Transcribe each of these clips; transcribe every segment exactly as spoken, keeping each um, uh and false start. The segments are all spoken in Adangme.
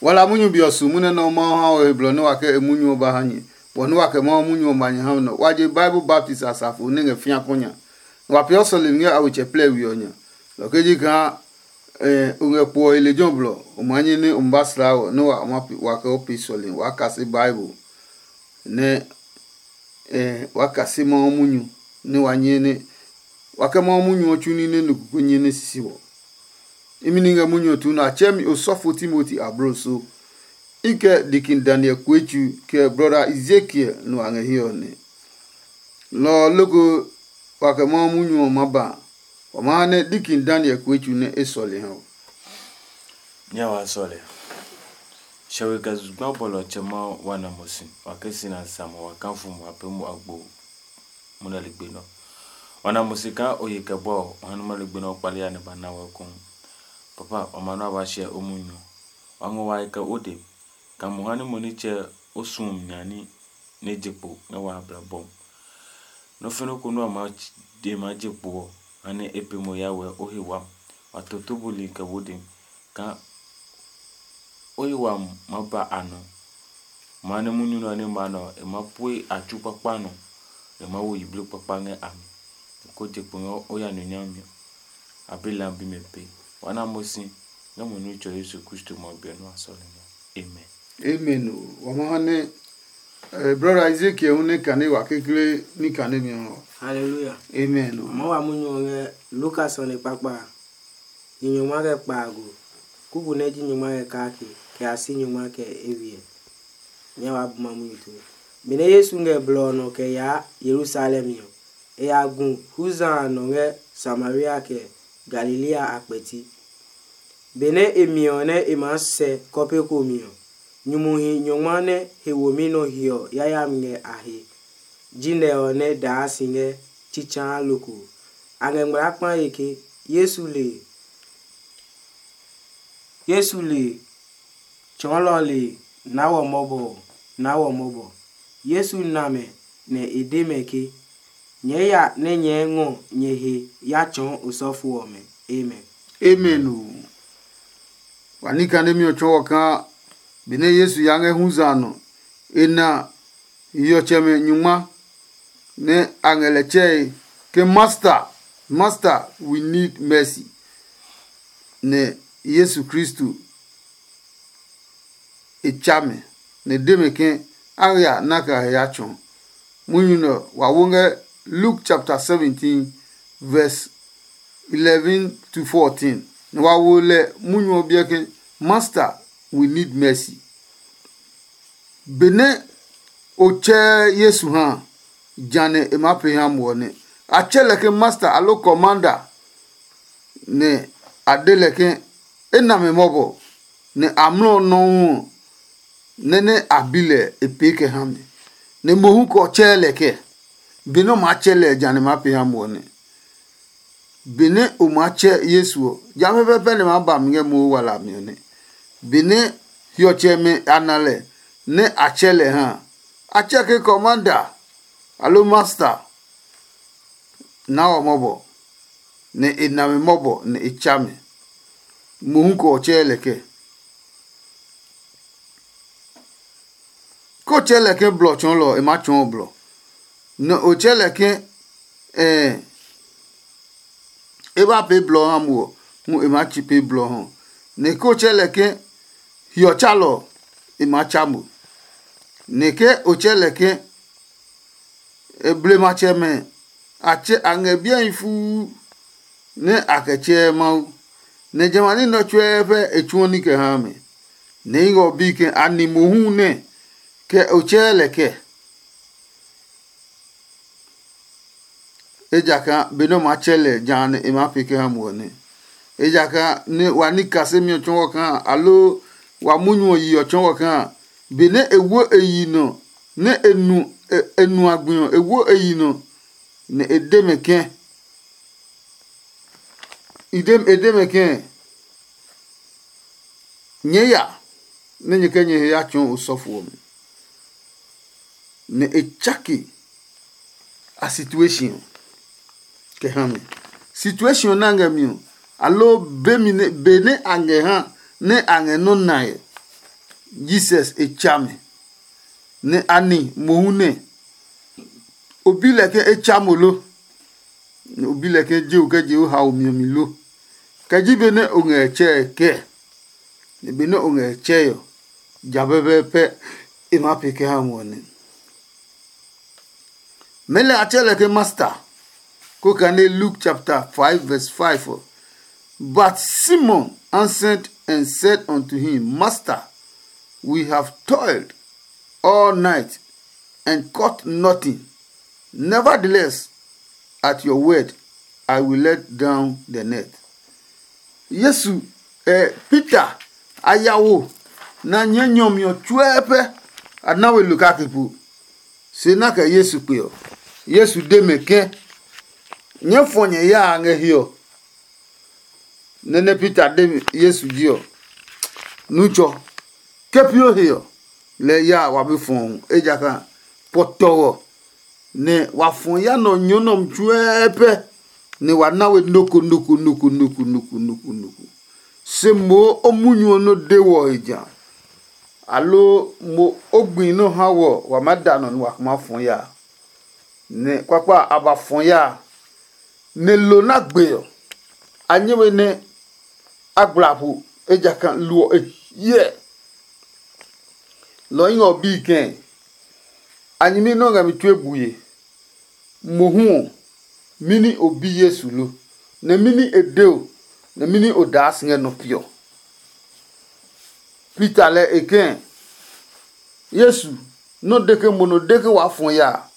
Wa la munyu be ɔ su munyu nɛ Mawu ha we he blɔ nɛ wa kɛ e munyu ɔ ba ha nyɛ. Bɔ nɛ wa kɛ Mawu munyu ɔ ma nyɛ ha nɛ ɔ, wa je Bible baptist asafo nɛ ngɛ fĩa kɔ nya. Nɛ wa peeɔ sɔlemi ngɛ a wetsɛ plɛ we ɔ nya. Lɔ kɛ ji kaa o ngɛ kpo ɔ he lejɛ ɔ blɔ, o maa nyɛ nɛ o ma ba slaa wɔ nɛ wa kɛ o pee sɔlemi waa kase Bible. Nɛ waa kase Mawu munyu nɛ wa nyɛ nɛ wa kɛ Mawu munyu ɔ tsu ní nɛ nu koko nyɛ nɛ sisi wɔ. Imi ni ngɛ munyu ɔ tuu nɛ a tsɛɛ mi osɔfo Timoti abloso. I kɛ dikin Daniel Kuetsu kɛ brɔda Ezekiel nu a ngɛ hiɛ ɔ nɛ. Lɔ ɔ loko wa kɛ Mawu munyu ɔ maa ba a, wa maa ha nɛ dikin Daniel Kuetsu nɛ e sɔle ha ɔ. Nya wa sɔle. Shɛwe kɛ zugba bɔlɔtsɛ Mawu wa na mo si, wa kɛ si na sa mo wa kafu mo wa pee mo agbo mo na ligbe nɔ. Wa na mo si kaa o ye kɛ bɔ ɔ, o ha numa ligbe nɔ kpali ya nɛ ba na wɛ ɔ kou. Papa, wa ma nɔ a ba hyɛ o munyu ɔ. Wa ngɔ wa kɛ o de, kaa mo ha nɛ mo nitsɛ o suɔ mi nya ní nɛ je kpo ngɛ wa abla bɔm. Nɔ́ fɛnɛ ko nɛ wa maa de maa je kpo ɔ, ha nɛ e pe mo ya wɛ o he wami. Wa toto buli kɛ wo de kaa o he wami maa ba a nɔ. Maa nɛ munyu nɛ ɔ nɛ ma nɛ ɔ, e maa pue a tsu kpakpa nɔ, e maa wo yiblii kpakpa ngɛ a mi. Ko je kpo ngɛ o ya nɔ nyami ɔ, a be lambi mɛ pe. Wa na mo si ngɛ mo Nitsɛ ɔ Yesu Kristo ma bi ɔ nɛ wa sɔle ngɛ. Amen. Amen o. Wa ma ha nɛ eh, brother Ezekiel hu ne kane wa kekle ni kane mi ɔ. Hallelujah. Amen o. Mɔ wa munyu ɔ ngɛ Lukas ɔ ne kpakpa a. Ni nyɔngma kɛ kpaago. Kuku nɛ ji nyɔngma kɛ kake, kɛ a si nyɔngma kɛ ewiɛ. Nyɛ wa bu ma munyu tue. Benɛ Yesu ngɛ blɔ ɔ nɔ kɛ yaa Yerusalem ɔ, e ya gu Huza a nɔ ngɛ Samaria kɛ Galilea a kpɛti. Benɛ e mi ɔ nɛ e maa sɛ kɔpe ko mi ɔ, nyumuhi nyɔngma nɛ he womi nɔ hiɔ yayami ngɛ a he. Jinɛ ɔ nɛ daa si ngɛ tsitsaa loko. A ngɛ ngmlaa kpae ke, Yesu le, Yesu le, tsɔɔlɔ le, naa wɔ mɔbɔ, naa wɔ mɔbɔ. Yesu na mɛ, nɛ e de mɛ ke, nyɛɛ ya nɛ nyɛɛ ngɔ nyɛ he ya tsɔɔ osɔfo ɔmɛ. Amen. Amen o. Wa ní kane mi ɔ tsɔɔ wɔ kaa benɛ Yesu ya ngɛ huza a nɔ, e na hiɔtsɛmɛ nyungma nɛ a ngɛ lɛ tsɛe ke, Master, Master, we need mercy. Nɛ Yesu Kristo e tsa mɛ, nɛ e de mɛ ke a ya nɛ a kɛ a he ya tsɔɔ. Munyu nɛ ɔ, wa wo ngɛ Luke chapter seventeen, verse eleven to fourteen. Nɛ wa wo lɛ munyu ɔ biɛ ke, Master, we need mercy. Benɛ o tsɛɛ Yesu ha a, jã nɛ e maa pee ha mo ɔ nɛ. A tsɛ lɛ ke Master aloo Commander, nɛ a de lɛ ke e na mɛ mɔbɔ, nɛ amlɔ ɔ nɔuu ɔ, nɛ nɛ a bi lɛ e pee kɛ ha mɛ, nɛ mohu kɛ ɔ tsɛɛ lɛ kɛ. Benɛ o maa tsɛ lɛ ɔ, jã nɛ e maa pee ha mo ɔ nɛ. Benɛ o maa tsɛ Yesu ɔ, ja pɛpɛɛpɛ nɛ maa ba mi ngɛ mohu wala mi ɔ nɛ. Benɛ hiɔtsɛmɛ a na lɛ nɛ a tsɛ lɛ ha a, a tsɛ ke Commander aloo Master, naa wɔ mɔbɔ, nɛ e na mɛ mɔbɔ nɛ e tsa mɛ. Mohu kɛ ɔ tsɛɛ lɛ kɛ. Ke o tsɛɛ lɛ ke blɔ tsɔɔlɔ ɔ, e maa tsɔɔ blɔ. Nɛ o tsɛɛ lɛ ke e ba pee blɔ ha mo ɔ, hu e maa tsi pee blɔ ha. Nɛ ke o tsɛɛ lɛ ke hiɔtsalɔ ɔ, e maa tsa mo. Nɛ ke o tsɛɛ lɛ ke blematsɛmɛ a tsɛ a ngɛ biɛhi fuu nɛ a kɛ tsɛɛ Mawu, nɛ jamɛ a ní nɛ ɔ tsuɛɛ pɛ e tsuɔ ní kɛ haa mɛ. Nɛ i ngɛ ɔ bi ke a ni mohu nɛ kɛ o tsɛɛ lɛ kɛ? Ejakaa be nɛ o maa tsɛ lɛ jã nɛ e maa pee kɛ ha mo ɔ nɛ. Ejakaa nɛ wa ní kasemi ɔ tsɔɔ kaa aloo wa munyu ɔ yi ɔ tsɔɔ kaa, benɛ e wo e yi nɔ nɛ e nu e nu a gbi ɔ, e wo e yi nɔ, nɛ e de mɛ kɛ̃ e de mɛ kɛ̃, nyɛɛ ya nɛ nyɛ kɛ nyɛ he ya tsɔɔ osɔfo ɔmɛ. Nɛ e tsake a situation ɔ kɛ ha mi. Situation ɔ nɛ a ngɛ mi ɔ, aloo be mi nɛ be nɛ a ngɛ ha nɛ a ngɛ nɔ́ nae ɔ, Jesus e tsa mi, nɛ a ni mohu nɛ o bi lɛ ke e tsa mo lo? Nɛ o bi lɛ ke je o kɛ je o hao mi ɔ mi lo? Kɛ ji be nɛ o ngɛ tsɛe kɛɛ? Nɛ be nɛ o ngɛ tsɛe ɔ, ja pɛpɛɛpɛ e maa pee kɛ ha mo ɔ nɛ. Mɛnɔ a tsɛ lɛ ke Master, ko kane Luke chapter five verse five ɔ. But Simon answered and said unto him, Master, we have toiled all night and caught nothing. Nevertheless, at your word, I will let down the net. Yesu, eh, Peter a ya wo, nɛ a nyɛɛ nyɔmi ɔ tsuɛɛ pɛ a na we lo kake po. Se na kɛ Yesu kpe ɔ, Yesu de mɛ ke, nyɛɛ fɔ nyɛ yaa ngɛ hiɛ ɔ. Nɛ nɛ Peter de Yesu ji ɔ, Nutsɔ, ke pio he ɔ, lɛ ya wa be fɔɔ, ejakaa pɔtɔɔ nɛ wa fɔ ya nɔ nyɔ nɔm tsuɛɛ pɛ, nɛ wa na we noko noko noko noko noko noko noko. Se moo o munyu ɔ nɔ de wɔ he ja, aloo mo o gbi nɔ ha wɔ wa maa da nɔ nɛ wa kuma fɔ ya. Nɛ kpakpa a ba fɔ ya, nɛ lo na gbe ɔ, a nyɛ we nɛ a gbla po, ejakaa lo ɔ e hyɛ. Lɔ ɔ ɔ bi kɛ̃, a nyɛmi nɛ o ngɛ mi tue bue. Mohu ɔ, mɛni o bi Yesu lo? Nɛ mɛni e de o? Nɛ mɛni o daa si ngɛ nɔ piɔ? Peter lɛ e kɛ̃, Yesu, nɔ de ke mo nɔ de ke waa fɔ ya a,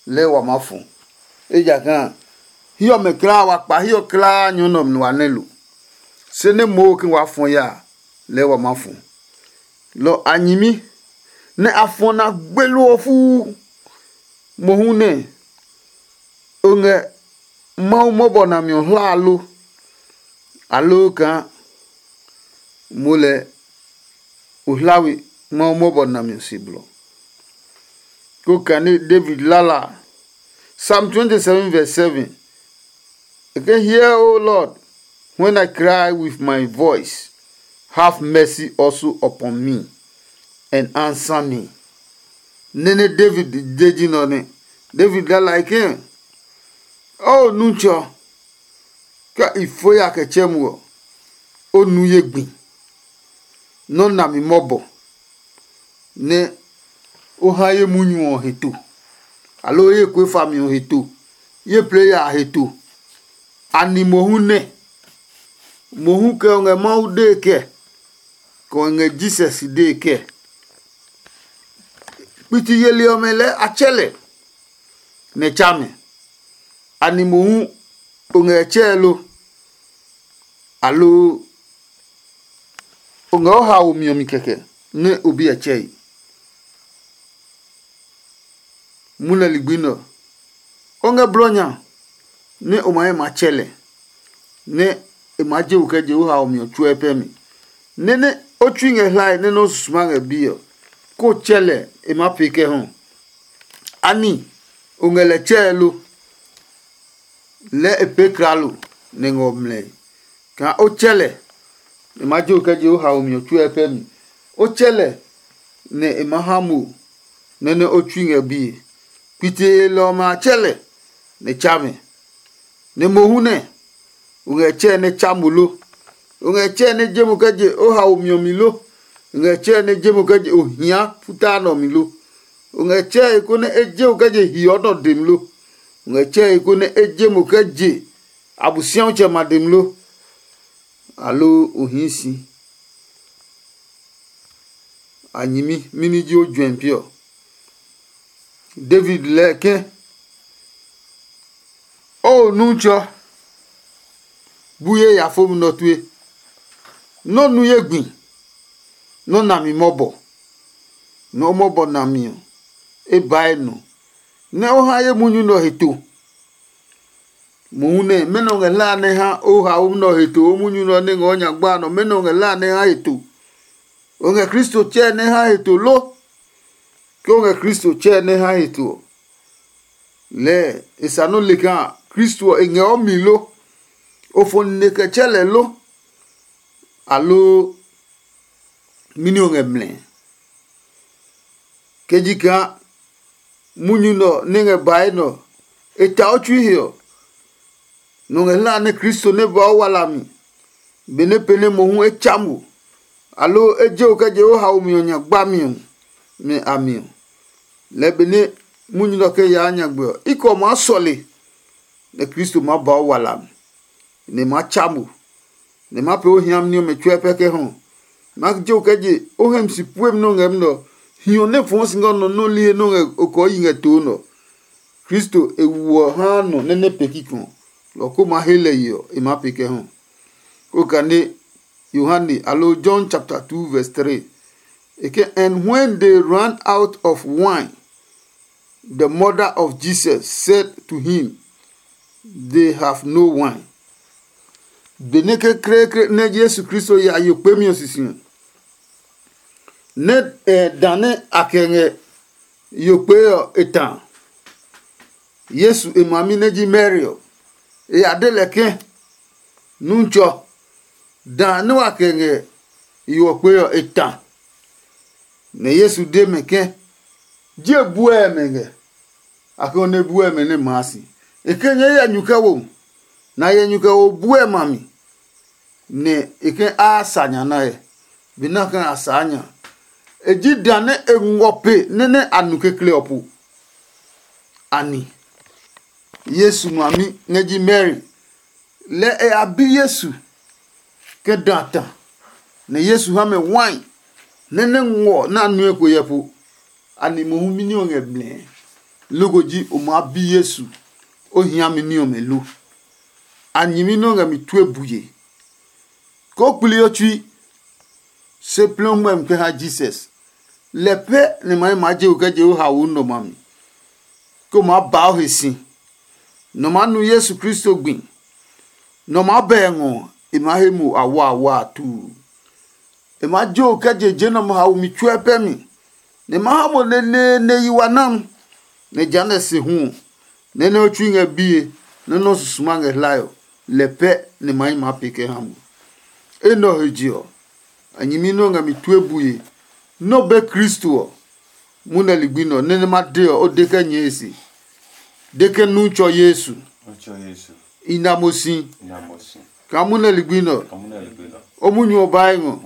lɛɛ wa maa fɔ. Ejakaa hiɛ ɔmɛ kulaa wa kpa hiɛ ɔ kulaa nyɔ nɛ ɔmɛ wa nɛ lo. Se nɛ moo ke waa fɔ ya a, lɛɛ wa maa fɔ. Lɔ a nyɛmi nɛ a fɔ na gbelu ɔ fuu. Mohu nɛ o ngɛ Mawu mɔbɔ nami ɔ hlaa lo? Aloo kaa mo lɛ o hla we Mawu mɔbɔ nami ɔ se blɔ? Ko kane David lala Psalm twenty-seven verse seven. E ke, Hear, O Lord, when I cry with my voice, have mercy also upon me, and answer me. Nene David de ji nɔ ne. David lala ke, O Nutsɔ, ke i fo ya kɛ tsɛ mo ɔ, o nu ye gbi. Nɔ́ nami mɔbɔ nɛ o ha ye munyu ɔ he to, aloo ye kue fami ɔ he to, ye plɛ ya a he to. Ani mohu nɛ? Mohu kɛ o ngɛ Mawu dee kɛ, kɛ o ngɛ Jisɔs dee kɛ? Kpiti yeli ɔmɛ lɛɛ a tsɛ lɛ nɛ tsa mɛ. Ani mohu o ngɛ tsɛɛ lo? Aloo o ngɛ o haomi ɔ mi kɛkɛ nɛ o bi ɛ tsɛe? Mwɔnɛ ligbi nɛ ɔ, o ngɛ blɔ nya nɛ o ma he ma tsɛ lɛ, nɛ e maa je wɔ kɛ je o haomi ɔ tsuɛ pɛ mi. Nɛ nɛ o tsui ngɛ hlae nɛ nɔ́ susuma ngɛ bi ɔ, kó o tsɛ lɛ e maa pee kɛ hu. Ani o ngɛ lɛ tsɛe lo? Lɛɛ e pee kralo nɛ ngɛ o mlɛe. Kaa o tsɛ lɛ, e maa je o kɛ je o haomi ɔ tsuɛ pɛ mi. O tsɛ lɛ nɛ e maa ha mo nɛ nɛ o tsui ngɛ bie. Kpiti yelɔ ɔmɛ a tsɛ lɛ nɛ tsa mɛ. Nɛ mohu nɛ o ngɛ tsɛɛ nɛ tsa mo lo? O ngɛ tsɛɛ nɛ je mo kɛ je o haomi ɔ mi lo? O ngɛ tsɛɛ nɛ je mo kɛ je o hia futaa nɛ ɔ mi lo? O ngɛ tsɛɛ he konɛ e je mo kɛ je hiɔ nɛ ɔ dem lo? O ngɛ tsɛɛ he konɛ e je mo kɛ je Abosiatsɛ ma dem lo? Aloo o hii si a nyɛmi mɛni ji o juɛmi pi ɔ? David lɛɛ ke, O Nutsɔ, bu ye ya fo mi nɔ tue. Nɔ́ nu ye gbi, nɔ́ nami mɔbɔ, nɔ́ mɔbɔ nami ɔ, e bae nɔ, nɛ o ha ye munyu nɛ ɔ he to. Mohu nɛ mɛnɔ ngɛ hlaa nɛ ha o haomi nɛ ɔ he to, o munyu nɛ ɔ nɛ ngɛ o nya gba nɔ, mɛnɔ ngɛ hlaa nɛ ha he to? O ngɛ Kristo tsɛɛ nɛ ha he to lo? Ke o ngɛ Kristo tsɛɛ nɛ ha he to ɔ, lɛɛ e sa nɔ́ le kaa Kristo ɔ e ngɛ o mi lo? O fɔ nine kɛ tsɛ lɛ lo? Aloo mɛni o ngɛ mlɛ? Ke ji kaa munyu nɛ ɔ nɛ ngɛ bae nɛ ɔ, e ta o tsui he ɔ, nɔ ngɛ hla nɛ Kristo nɛ ba o wala mi, benɛ pee nɛ mohu e tsa mo, aloo e je o kɛ je o haomi ɔ nya gbami ɔ, mɛ a mi ɔ. Lɛɛ benɛ munyu nɛ ɔ kɛ yaa nyagbe ɔ, i kɛ ɔ maa sɔle, nɛ Kristo maa ba o wala mi, nɛ e maa tsa mo, nɛ e maa pee o hiami ní ɔmɛ tsuɛ pɛ kɛ hɔ. Ma je o kɛ je o hɛ mi si puemi nɛ o ngɛ mi nɛ ɔ, hiɔ nɛ fɔɔ si ngɛ o nɔ nɔ́ li he nɛ o ngɛ o kɔɔ yi ngɛ too nɛ ɔ. Kristo e wu ɔ haa nɔ nɛ nɛ pee kikɔ, lɔ ko maa he lɛ ye ɔ, e maa pee kɛ hɔ. Kó kane Yohane alo John chapter two verse three. E ke, and when they ran out of wine, the mother of Jesus said to him, they have no wine. Benɛ kekleekle nɛ Yesu Kristo ya yo kpemi ɔ sisi ɔ, nɛ eh, dã nɛ a kɛ ngɛ yo kpee ɔ e ta. Yesu e mami nɛ ji Mary ɔ, e ya de lɛ ke, Nutsɔ, dã nɛ wa kɛ ngɛ yo ɔ kpee ɔ e ta. Nɛ Yesu de mɛ ke, Je buɛ mɛ ngɛ? A ke nɛ buɛ mɛ nɛ maa si. E ke nyɛɛ yɛ nyu kɛ wo, nɛ a yɛ nyu kɛ wo buɛ ma mi, nɛ e ke a sa nya nae. Be nɛ a ke a saa nya. E ji dã nɛ e ngɔ pe nɛ nɛ a nu kekle ɔ po. Ani Yesu mami nɛ ji Mary, lɛ e ya bi Yesu ke dã ta, nɛ Yesu ha mɛ wai nɛ nɛ ngɔ nɛ a nue ko yɛ po. Ani mohu mi ní ɔ ngɛ blɛɛ? Loko ji o maa bi Yesu o hia mi ní ɔmɛ lo? A nyɛmi nɛ o ngɛ mi tue buye. Koo kpli o tsui, se plɛ o ngmɛmi kɛ ha Jesus. Lɛ pɛ nɛ ma maa je o kɛ je o haoe nɔ ma mi, kɛ o maa ba o he si. Nɔ maa nu Yesu Kristo gbi. Nɔ maa bɛ ngɔ, e maa he mo awaawa a tuu. E maa je o kɛ je je nɔmɛ haomi tsuɛ pɛ mi, nɛ e maa ha mo neneene yi wa nam. Nɛ jehanɛ se hu ɔ, nɛ nɛ o tsui ngɛ biye, nɛ nɔ́ susuma ngɛ hlae ɔ, lɛ pɛ nɛ ma yi maa pee kɛ ha mo. Enɛ ɔ he je ɔ, a nyɛmi nɛ o ngɛ mi tue bue nɛ o be Kristo ɔ, munɛ ligbi nɛ ɔ nɛ nɛ ma de ɔ, o de kɛ nyɛɛ e se. De ke nu tsɔ Yesu. I na mo si. Kaa munɛ ligbi nɛ ɔ, o munyu ɔ bae ngɔ.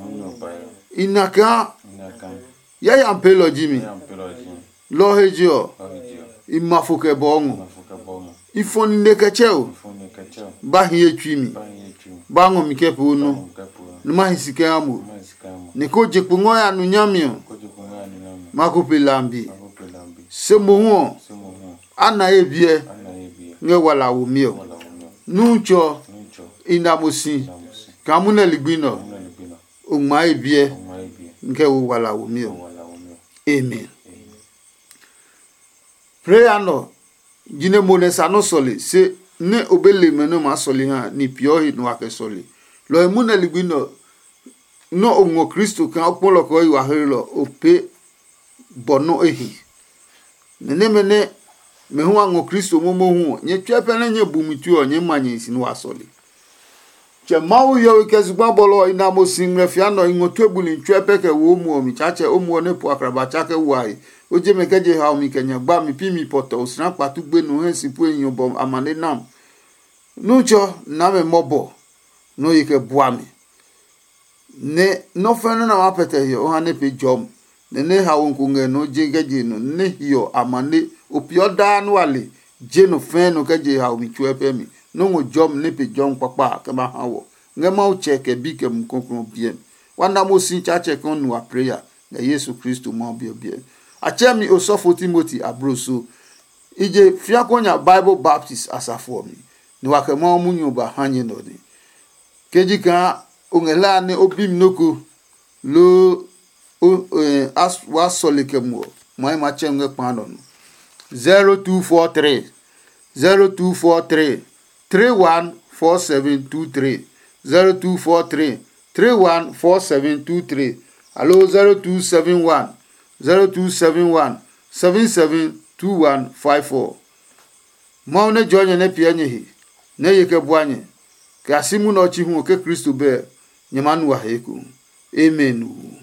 I na kaa yayami peelɔ ji mi. Lɔ ɔ he je ɔ, i ma fo kɛ bɔɔ ngɔ. I fɔ nine kɛ tsɛ o. Ba hi ye tsui mi. Ba ngɔ mi kɛ pee o nɔ. Nɛ ma hi si kɛ ha mo. Ni ko je kpo ngɔ ya nu nyami ɔ, ma ko pe lambi. Se mohu ɔ, a na ye biɛ ngɛ wala womi ɔ. Nutsɔ, i na mo si. Kaa munɛ ligbi nɛ ɔ, o ngma ye biɛ ngɛ wo wala womi ɔ. Amen. Prayer nɔ jinɛ mo nɛ sa nɔ́ sɔle se nɛ o be le mɛ nɛ o maa sɔle ha ni peeɔ he nɔ wa kɛ sɔle. Lɔ ɔ he munɛ ligbi nɛ ɔ, nɔ́ o ngɔ Kristo kaa o kpɔlɔ kɛ o yi wa hlelɔ o pee bɔ nɔ́ e hi. Nɛ nɛmɛ nɛ mɛ hu a ngɔ Kristo momohu ɔ, nyɛ tsuɛ pɛ nɛ nyɛ bu mi tue ɔ, nyɛɛ ma nyɛ hi si nɛ wa sɔle. Tsɛ Mawu hiɔwe kɛ zugba bɔlɔ ɔ, i na mo si ngmlɛ fia nɔ i ngɔ tue buli tsuɛ pɛ kɛ wo o muɔ mi. Tsaatsɛ o muɔ nɛ po akraba tsa kɛ wa he. O je mɛ kɛ je haomi kɛ nya gba mi pi mi pɔtɔ osina kpatu gbenu o hɛ si pue hiɔ bɔ amane nam. Nutsɔ, na mɛ mɔbɔ nɔ ye kɛ bua mi. Nɛ nɔ́ fɛ́ nɔ́ nɛ a maa pɛtɛ hiɔ o ha nɛ pee jɔmi, nɛ nɛ haomi ko ngɛ nɔ je kɛ je nɔ nɛ hiɔ amane o peeɔ daa nɛ wa le je nɔ fɛɛ nɔ kɛ je haomi tsuɛ pɛ mi. Nɔ́ ngɔ jɔmi nɛ pe jɔmi kpakpa a kɛ ba ha wɔ ngɛ Mawu Tsɛ kɛ Bi kɛ Mumi Klɔuklɔu ɔ biɛ mi. Wa na mo si Tsaatsɛ kaa o nu wa preya ngɛ Yesu Kristo Mawu Bi ɔ biɛ mi. A tsɛɛ mi osɔfo Timoti abloso. I je fiako nya Bible baptist asafo ɔ mi, nɛ wa kɛ Mawu munyu ɔ ba ha nyɛ nɛ ɔ nɛ. Ke ji kaa o ngɛ hlaa nɛ o bi mi nɔ́ ko, loo o eh, as- waa sɔle kɛ muɔ, ma yi ma tsɛ ngɛ kpa nɔ nɔ. zero two four three zero two four three three one four seven two three. zero two four three three one four seven two three. Alo zero two seven one zero two seven one seven seven two one five four. Mawu nɛ jɔɔ nyɛ nɛ piɛ nyɛ he, nɛ ye kɛ bua nyɛ, kɛ a si munɛ ɔ chi hu ɔ ke Kristo bɛ, nyɛ maa nu a he ekohu. Amen.